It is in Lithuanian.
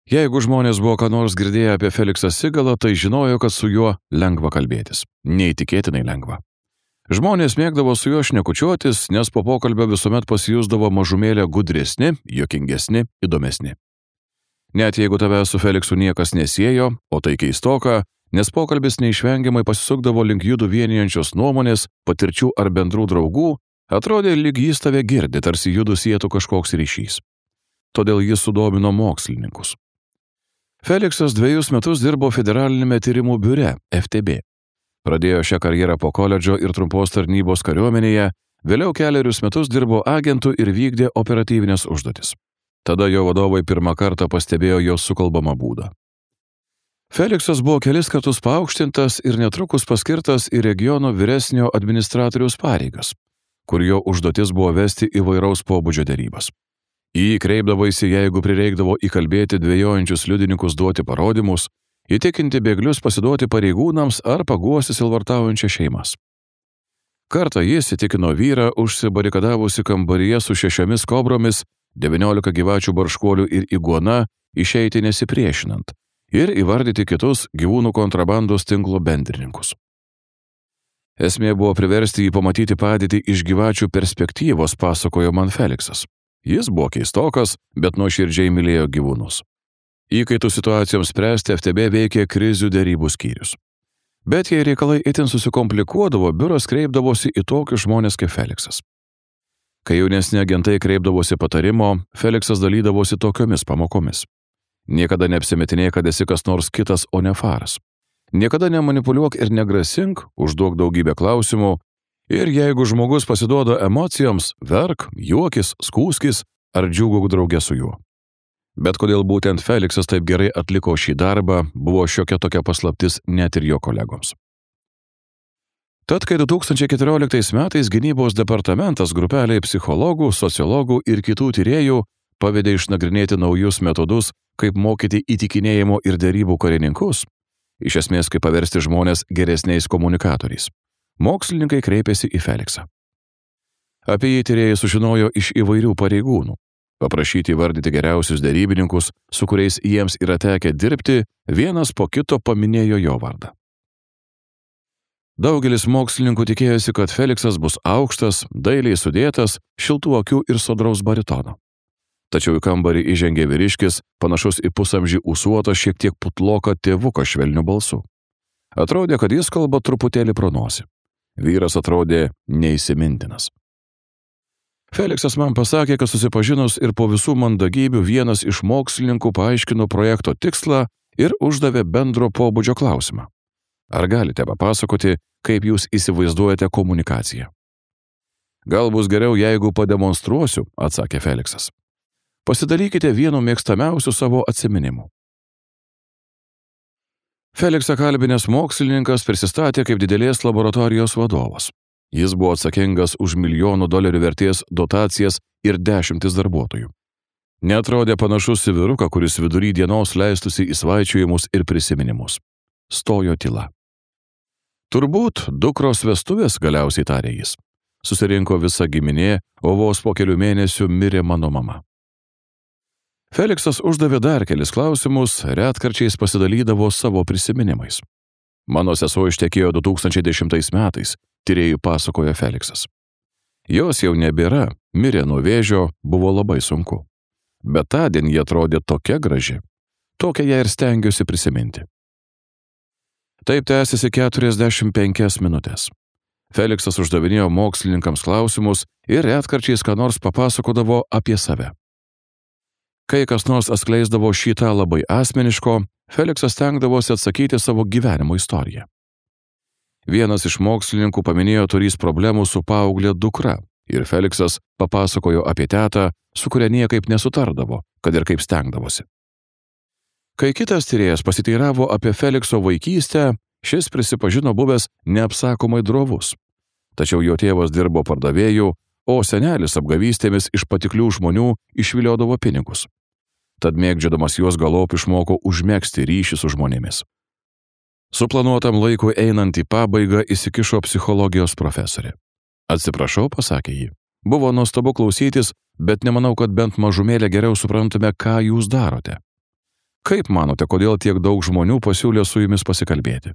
Jeigu žmonės buvo ką nors girdėję apie Feliksą Sigalą, tai žinojo, kad su juo lengva kalbėtis. Neįtikėtinai lengva. Žmonės mėgdavo su juo šnekučiuotis, nes po pokalbio visuomet pasijusdavo mažumėlę gudresni, juokingesni, įdomesni. Net jeigu tave su Feliksu niekas nesiejo, o tai keistoka, nes pokalbis neišvengiamai pasisukdavo link judų vienijančios nuomonės, patirčių ar bendrų draugų, atrodė, lyg jis tave girdi, tarsi judų sietų kažkoks ryšys. Todėl jis sudomino mokslininkus. Feliksas 2 metus dirbo Federalinėme tyrimų biure FTB. Pradėjo šią karjerą po koledžo ir trumpos tarnybos kariuomenėje, vėliau 4 metus dirbo agentų ir vykdė operatyvinės užduotis. Tada jo vadovai pirmą kartą pastebėjo jo sukalbamą būdą. Feliksas buvo kelis kartus paaukštintas ir netrukus paskirtas į regiono vyresnio administratoriaus pareigas, kur jo užduotis buvo vesti įvairaus pobūdžio derybas. Į jį kreipdavaisi, jeigu prireikdavo įkalbėti dvejojančius liudininkus duoti parodymus, įtikinti bėglius pasiduoti pareigūnams ar paguosti silvartaujančias šeimas. Kartą jis įtikino vyrą užsibarikadavusi kambaryje su 6 kobromis, 19 gyvačių barškuolių ir iguona išeiti nesipriešinant ir įvardyti kitus gyvūnų kontrabandos tinklo bendrininkus. Esmė buvo priversti jį pamatyti padėtį iš gyvačių perspektyvos, pasakojo man Feliksas. Jis buvo keistokas, bet nuoširdžiai mylėjo gyvūnus. Įkaitų situacijoms spręsti FTB veikė krizių derybų skyrius. Bet jei reikalai itin susikomplikuodavo, biuras kreipdavosi į tokius žmonės kaip Feliksas. Kai jaunesni agentai kreipdavosi patarimo, Feliksas dalydavosi tokiomis pamokomis. Niekada neapsimetinėk, kad esi kas nors kitas, o ne faras. Niekada nemanipuliuok ir negrasink, užduok daugybę klausimų, ir jeigu žmogus pasiduoda emocijoms, verk, juokis, skųskis ar džiūgauk drauge su juo. Bet kodėl būtent Feliksas taip gerai atliko šį darbą, buvo šiokia tokia paslaptis net ir jo kolegoms. Tad, kai 2014 metais gynybos departamentas grupeliai psichologų, sociologų ir kitų tyrėjų pavedė išnagrinėti naujus metodus, kaip mokyti įtikinėjimo ir derybų karininkus, iš esmės kaip paversti žmonės geresniais komunikatoriais, mokslininkai kreipėsi į Feliksą. Apie jį tyrėjai sužinojo iš įvairių pareigūnų. Paprašyti įvardyti geriausius derybininkus, su kuriais jiems yra tekę dirbti, vienas po kito paminėjo jo vardą. Daugelis mokslininkų tikėjosi, kad Feliksas bus aukštas, dailiai sudėtas, šiltų akių ir sodraus baritono. Tačiau į kambarį įžengė vyriškis, panašus į pusamžį ūsuotą, šiek tiek putloką tėvuką švelniu balsu. Atrodė, kad jis kalba truputėlį pro nosį. Vyras atrodė neįsimintinas. Feliksas man pasakė, kad susipažinus ir po visų mandagybių vienas iš mokslininkų paaiškino projekto tikslą ir uždavė bendro pobūdžio klausimą. Ar galite papasakoti, kaip jūs įsivaizduojate komunikaciją? Gal bus geriau, jeigu pademonstruosiu, atsakė Feliksas. Pasidalykite vienu mėgstamiausiu savo atsiminimu. Feliksą kalbinęs mokslininkas prisistatė kaip didelės laboratorijos vadovas. Jis buvo atsakingas už $1 000 vertės dotacijas ir 10 darbuotojų. Neatrodė panašus į vyruką, kuris vidury dienos leistųsi į svaičiojimus ir prisiminimus. Stojo tyla. Turbūt dukros vestuvės, galiausiai tarė jis. Susirinko visa giminė, o vos po kelių mėnesių mirė mano mama. Feliksas uždavė dar kelis klausimus, retkarčiais pasidalydavo savo prisiminimais. Mano sesuo ištekėjo 2010 metais, tyrėjų pasakojo Feliksas. Jos jau nebėra, mirė nuo vėžio, buvo labai sunku. Bet tądien jie atrodė tokia graži. Tokią ją ir stengiuosi prisiminti. Taip tęsiasi 45 minutės. Feliksas uždavinėjo mokslininkams klausimus ir retkarčiais ką nors papasakodavo apie save. Kai kas nors atskleisdavo šitą labai asmeniško, Feliksas stengdavosi atsakyti savo gyvenimo istoriją. Vienas iš mokslininkų paminėjo turys problemų su paauglė dukra ir Feliksas papasakojo apie tetą, su kuria niekaip nesutardavo, kad ir kaip stengdavosi. Kai kitas tyrėjas pasiteiravo apie Felikso vaikystę, šis prisipažino buvęs neapsakomai drovus. Tačiau jo tėvas dirbo pardavėju, o senelis apgavystėmis iš patiklių žmonių išviliodavo pinigus. Tad mėgdžiodamas juos galop išmoko užmegzti ryšį su žmonėmis. Suplanuotam laikui einant į pabaigą įsikišo psichologijos profesorė. Atsiprašau, pasakė ji. Buvo nuostabu klausytis, bet nemanau, kad bent mažumėlę geriau suprantame, ką jūs darote. Kaip manote, kodėl tiek daug žmonių pasiūlė su jumis pasikalbėti?